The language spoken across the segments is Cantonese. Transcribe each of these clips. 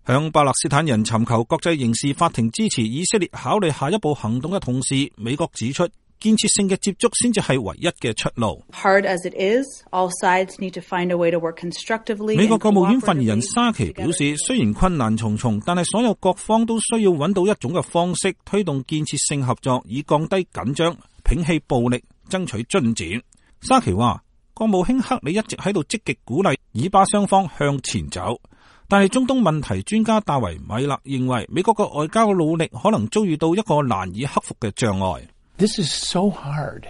向巴勒斯坦人尋求國際刑事法庭支持以色列考慮下一步行動嘅同時，美國指出建設性嘅接觸先至係唯一嘅出路。美國國務院發言人沙奇表示，雖然困難重重，但係所有各方都需要揾到一種嘅方式推動建設性合作，以降低緊張、摒棄暴力、爭取進展。沙奇話，國務卿克里一直喺度積極鼓勵以巴雙方向前走，但係中東問題專家大衛米勒認為，美國嘅外交努力可能遭遇到一個難以克服嘅障礙。This is so hard,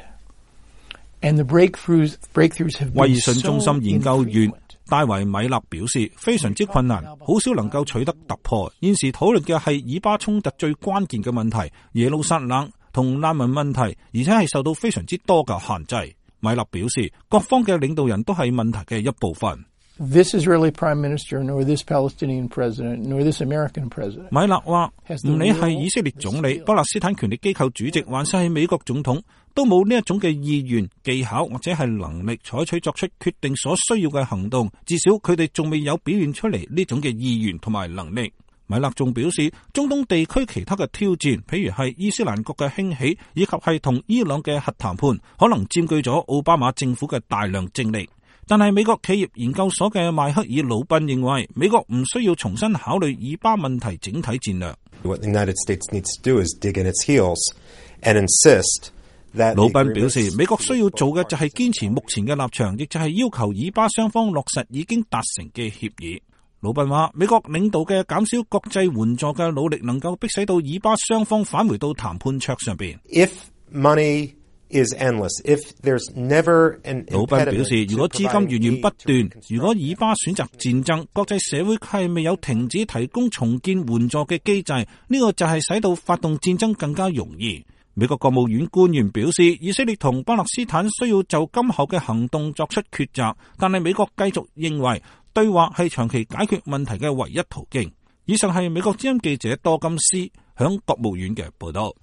and the breakthroughs have been so infrequent. 威爾遜中心研究員戴維米勒表示，非常之困難，好少能夠取得突破。現時討論嘅係以巴衝突最關鍵嘅問題，耶路撒冷同難民問題，而且係受到非常之多嘅限制。米勒表示，各方嘅領導人都係問題嘅一部分。This Israeli Prime Minister, nor this Palestinian President, nor this American President. 米勒話，唔理係以色列總理、巴勒斯坦權力機構主席，還是係美國總統，都冇呢一種嘅意願、技巧或者係能力採取作出決定所需要嘅行動。至少佢哋仲未有表現出嚟呢種嘅意願同埋能力。米勒仲表示，中東地區其他嘅挑戰，譬如係伊斯蘭國嘅興起，以及係同伊朗嘅核談判，可能佔據咗奧巴馬政府嘅大量精力。但係美國企業研究所嘅邁克爾魯賓認為，美國唔需要重新考慮以巴問題整體戰略。What the United States needs to do is dig in its heels and insist that 魯賓表示，美國需要做嘅就係堅持目前嘅立場，亦就係要求以巴雙方落實已經達成嘅協議。魯賓話，美國領導嘅減少國際援助嘅努力，能夠迫使到以巴雙方返回到談判桌上邊。If money is endless, if there's never an impediment. 魯賓表示，如果資金源源不斷，如果以巴選擇戰爭，國際社會係未有停止提供重建援助嘅機制，呢個就係使到發動戰爭更加容易。美國國務院官員表示，以色列同巴勒斯坦需要就今後嘅行動作出抉擇，但係美國繼續認為對話係長期解決問題嘅唯一途徑。以上係美國之音記者多金斯響國務院嘅報道。